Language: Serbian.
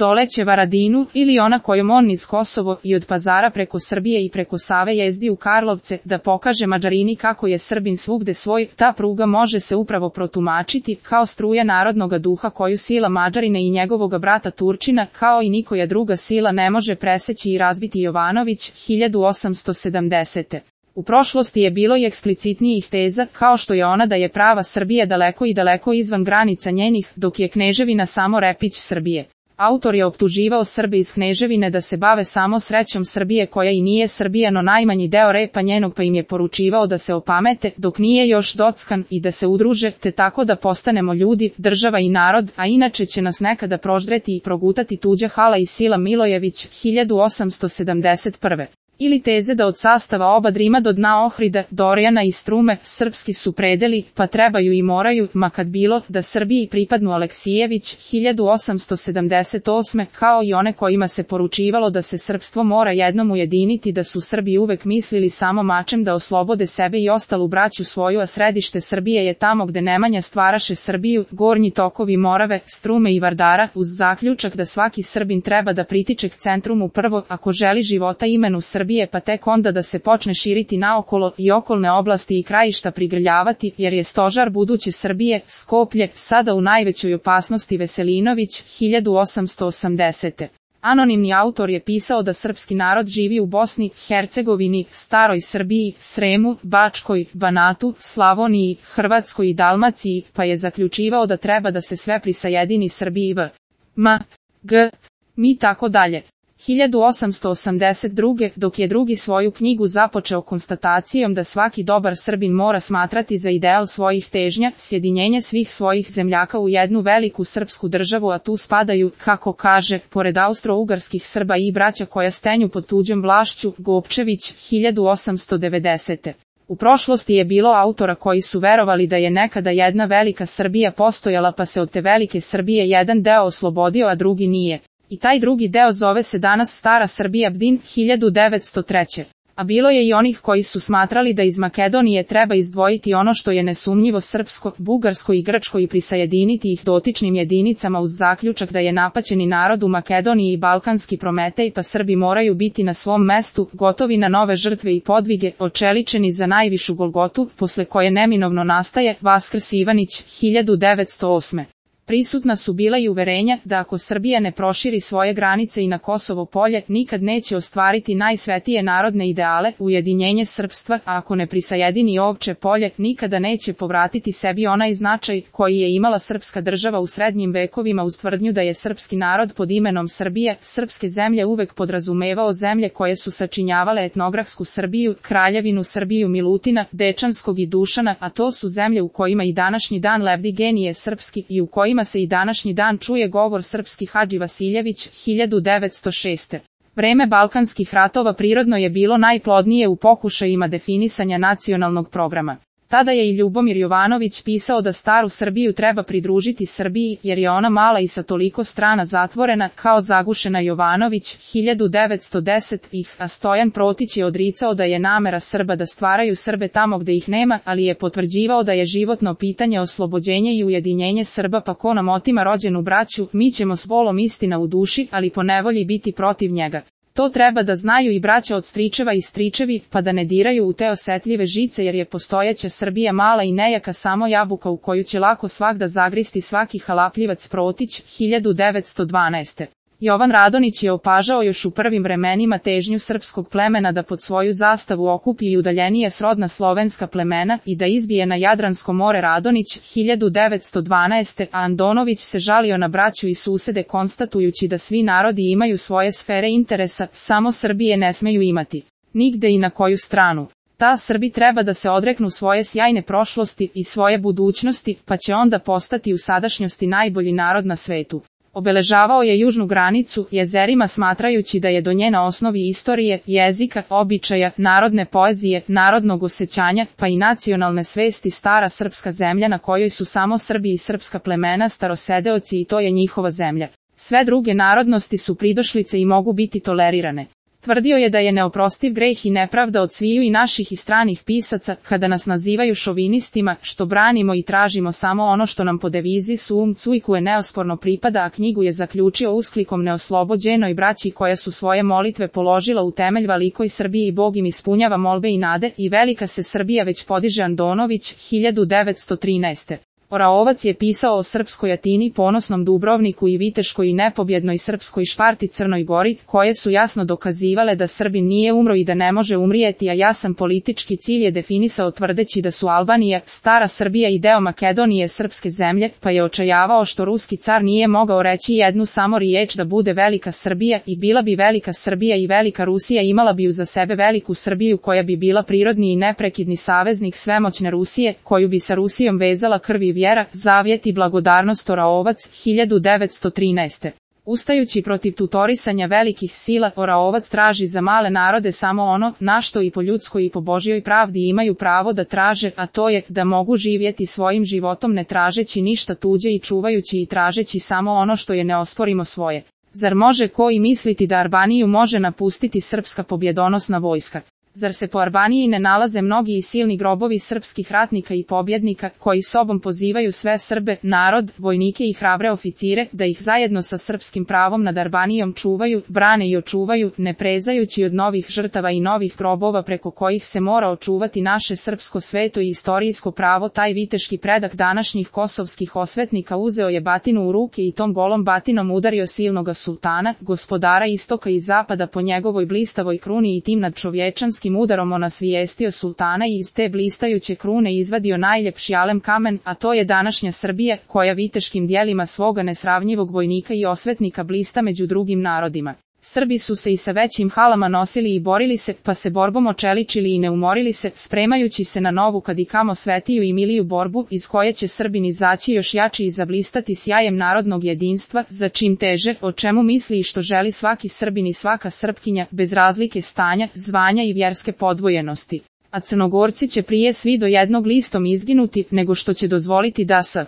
doleće Varadinu, ili ona kojom on niz Kosovo i od Pazara preko Srbije i preko Save jezdi u Karlovce, da pokaže Mađarini kako je Srbin svugde svoj, ta pruga može se upravo protumačiti kao struja narodnoga duha koju sila Mađarina i njegovoga brata Turčina, kao i nikoja druga sila ne može preseći i razbiti. Jovanović, 1870. U prošlosti je bilo i eksplicitnijih teza, kao što je ona da je prava Srbija daleko i daleko izvan granica njenih, dok je Kneževina samo repić Srbije. Autor je optuživao Srbe iz Kneževine da se bave samo srećom Srbije koja i nije Srbija, no najmanji deo repa njenog, pa im je poručivao da se opamete dok nije još dockan i da se udruže, te tako da postanemo ljudi, država i narod, a inače će nas nekada proždreti i progutati tuđa hala i sila. Milojević, 1871. Ili teze da od sastava oba Drima do dna Ohrida, Dorjana i Strume, srpski su predeli, pa trebaju i moraju, ma kad bilo, da Srbiji pripadnu. Aleksijević, 1878. Kao i one kojima se poručivalo da se srpstvo mora jednom ujediniti, da su Srbi uvek mislili samo mačem da oslobode sebe i ostalu braću svoju, a središte Srbije je tamo gde Nemanja stvaraše Srbiju, gornji tokovi Morave, Strume i Vardara, uz zaključak da svaki Srbin treba da pritiče k centrumu prvo, ako želi života imenu Srbije, pa tek onda da se počne širiti naokolo i okolne oblasti i krajišta prigrljavati, jer je stožar buduće Srbije, Skoplje, sada u najvećoj opasnosti. Veselinović, 1880. Anonimni autor je pisao da srpski narod živi u Bosni, Hercegovini, Staroj Srbiji, Sremu, Bačkoj, Banatu, Slavoniji, Hrvatskoj i Dalmaciji, pa je zaključivao da treba da se sve prisajedini Srbiji v. M. G. Mi tako dalje. 1882. dok je drugi svoju knjigu započeo konstatacijom da svaki dobar Srbin mora smatrati za ideal svojih težnja sjedinjenje svih svojih zemljaka u jednu veliku srpsku državu, a tu spadaju, kako kaže, pored austro-ugarskih Srba i braća koja stenju pod tuđom vlašću. Gopčević, 1890. U prošlosti je bilo autora koji su verovali da je nekada jedna velika Srbija postojala, pa se od te velike Srbije jedan deo oslobodio, a drugi nije. I taj drugi deo zove se danas Stara Srbija. Bdin, 1903. A bilo je i onih koji su smatrali da iz Makedonije treba izdvojiti ono što je nesumnjivo srpsko, bugarsko i grčko i prisajediniti ih dotičnim jedinicama uz zaključak da je napaćeni narod u Makedoniji i balkanski Prometej, pa Srbi moraju biti na svom mestu, gotovi na nove žrtve i podvige, očeličeni za najvišu Golgotu, posle koje neminovno nastaje Vaskrs. Ivanić, 1908. Prisutna su bila i uverenja da ako Srbija ne proširi svoje granice i na Kosovo polje, nikad neće ostvariti najsvetije narodne ideale, ujedinjenje srpstva, a ako ne prisajedini Ovče polje, nikada neće povratiti sebi onaj značaj koji je imala srpska država u srednjim vekovima, uz tvrdnju da je srpski narod pod imenom Srbije, srpske zemlje uvek podrazumevao zemlje koje su sačinjavale etnografsku Srbiju, Kraljevinu Srbiju Milutina, Dečanskog i Dušana, a to su zemlje u kojima i današnji dan lebdi genije srpski i u kojima se i današnji dan čuje govor srpski. Hadži Vasiljević, 1906. Vreme balkanskih ratova prirodno je bilo najplodnije u pokušajima definisanja nacionalnog programa. Tada je i Ljubomir Jovanović pisao da staru Srbiju treba pridružiti Srbiji, jer je ona mala i sa toliko strana zatvorena, kao zagušena. Jovanović, 1910. A Stojan Protić je odricao da je namera Srba da stvaraju Srbe tamo gde ih nema, ali je potvrđivao da je životno pitanje oslobođenje i ujedinjenje Srba, pa ko nam otima rođenu braću, mi ćemo s volom istina u duši, ali po nevolji biti protiv njega. To treba da znaju i braća od stričeva i stričevi, pa da ne diraju u te osetljive žice, jer je postojeća Srbija mala i nejaka samo jabuka u koju će lako svagda zagristi svaki halapljivac. Protić, 1912. Jovan Radonić je opažao još u prvim vremenima težnju srpskog plemena da pod svoju zastavu okupi i udaljenije srodna slovenska plemena i da izbije na Jadransko more. Radonić, 1912. A Andonović se žalio na braću i susede konstatujući da svi narodi imaju svoje sfere interesa, samo Srbije ne smeju imati. Nigde i na koju stranu. Ta Srbi treba da se odreknu svoje sjajne prošlosti i svoje budućnosti, pa će onda postati u sadašnjosti najbolji narod na svetu. Obeležavao je južnu granicu jezerima smatrajući da je do nje na osnovi istorije, jezika, običaja, narodne poezije, narodnog osjećanja, pa i nacionalne svesti stara srpska zemlja na kojoj su samo Srbi i srpska plemena starosedeoci i to je njihova zemlja. Sve druge narodnosti su pridošlice i mogu biti tolerirane. Tvrdio je da je neoprostiv greh i nepravda od sviju i naših i stranih pisaca, kada nas nazivaju šovinistima, što branimo i tražimo samo ono što nam po devizi sum cujkuje neosporno pripada, a knjigu je zaključio usklikom neoslobođenoj braći koja su svoje molitve položila u temelj velikoj Srbiji i Bog im ispunjava molbe i nade, i velika se Srbija već podiže. Andonović, 1913. Oraovac je pisao o srpskoj Atini, ponosnom Dubrovniku i viteškoj i nepobjednoj srpskoj Šparti Crnoj Gori, koje su jasno dokazivale da Srbin nije umro i da ne može umrijeti, a jasan politički cilj je definisao tvrdeći da su Albanija, stara Srbija i deo Makedonije srpske zemlje, pa je očajavao što ruski car nije mogao reći jednu samo riječ da bude velika Srbija, i bila bi velika Srbija i velika Rusija, imala bi uza sebe veliku Srbiju koja bi bila prirodni i neprekidni saveznik svemoćne Rusije, koju bi sa Rusijom vezala krv i vjera, zavjet i blagodarnost. Oraovac, 1913. Ustajući protiv tutorisanja velikih sila, Oraovac traži za male narode samo ono, na što i po ljudskoj i po Božjoj pravdi imaju pravo da traže, a to je, da mogu živjeti svojim životom ne tražeći ništa tuđe i čuvajući i tražeći samo ono što je neosporimo svoje. Zar može ko i misliti da Albaniju može napustiti srpska pobjedonosna vojska? Zar se po Albaniji ne nalaze mnogi i silni grobovi srpskih ratnika i pobjednika, koji sobom pozivaju sve Srbe, narod, vojnike i hrabre oficire, da ih zajedno sa srpskim pravom nad Albanijom čuvaju, brane i očuvaju, ne prezajući od novih žrtava i novih grobova preko kojih se mora očuvati naše srpsko sveto i istorijsko pravo? Taj viteški predak današnjih kosovskih osvetnika uzeo je batinu u ruke i tom golom batinom udario silnoga sultana, gospodara istoka i zapada po njegovoj blistavoj kruni, i tim nadčovječanskim udarom on nasvijestio sultana i iz te blistajuće krune izvadio najljepši alem kamen, a to je današnja Srbija, koja viteškim djelima svoga nesravnjivog vojnika i osvetnika blista među drugim narodima. Srbi su se i sa većim halama nosili i borili se, pa se borbom očeličili i ne umorili se, spremajući se na novu kad i kamo svetiju i miliju borbu, iz koje će Srbin izaći još jači i zablistati sjajem narodnog jedinstva, za čim teže, o čemu misli i što želi svaki Srbin i svaka Srpkinja, bez razlike stanja, zvanja i vjerske podvojenosti. A Crnogorci će prije svi do jednog listom izginuti, nego što će dozvoliti da sa